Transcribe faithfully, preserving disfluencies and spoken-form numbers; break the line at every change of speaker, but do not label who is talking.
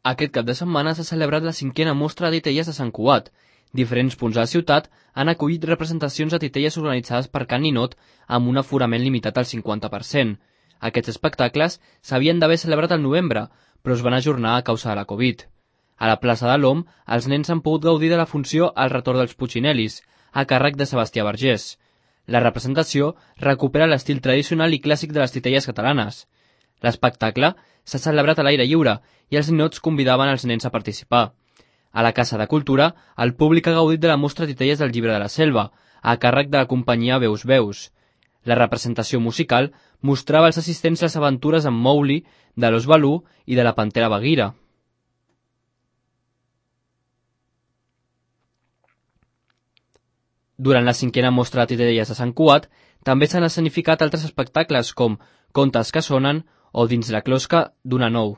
Aquest cap de setmana s'ha celebrat la cinquena mostra de titelles de Sant Cugat. Diferents punts de la ciutat han acollit representacions de titelles organitzades per Can Ninot amb un aforament limitat al cinquanta per cent. Aquests espectacles s'havien d'haver celebrat al novembre, però es van ajornar a causa de la Covid. A la plaça de l'Om, els nens han pogut gaudir de la funció El retorn dels Puccinellis, a càrrec de Sebastià Vergés. La representació recupera l'estil tradicional i clàssic de les titelles catalanes. L'espectacle s'ha celebrat a l'aire lliure i els ninots convidaven els nens a participar. A la Casa de Cultura, el públic ha gaudit de la mostra Titelles del Llibre de la Selva, a càrrec de la companyia Veus Veus. La representació musical mostrava als assistents les aventures amb Mowgli, de l'Ós Balú i de la Pantera Bagheera. Durant la cinquena mostra de titelles de Sant Cugat, també s'han escenificat altres espectacles com Contes que sonen o Dins la closca d'una nou.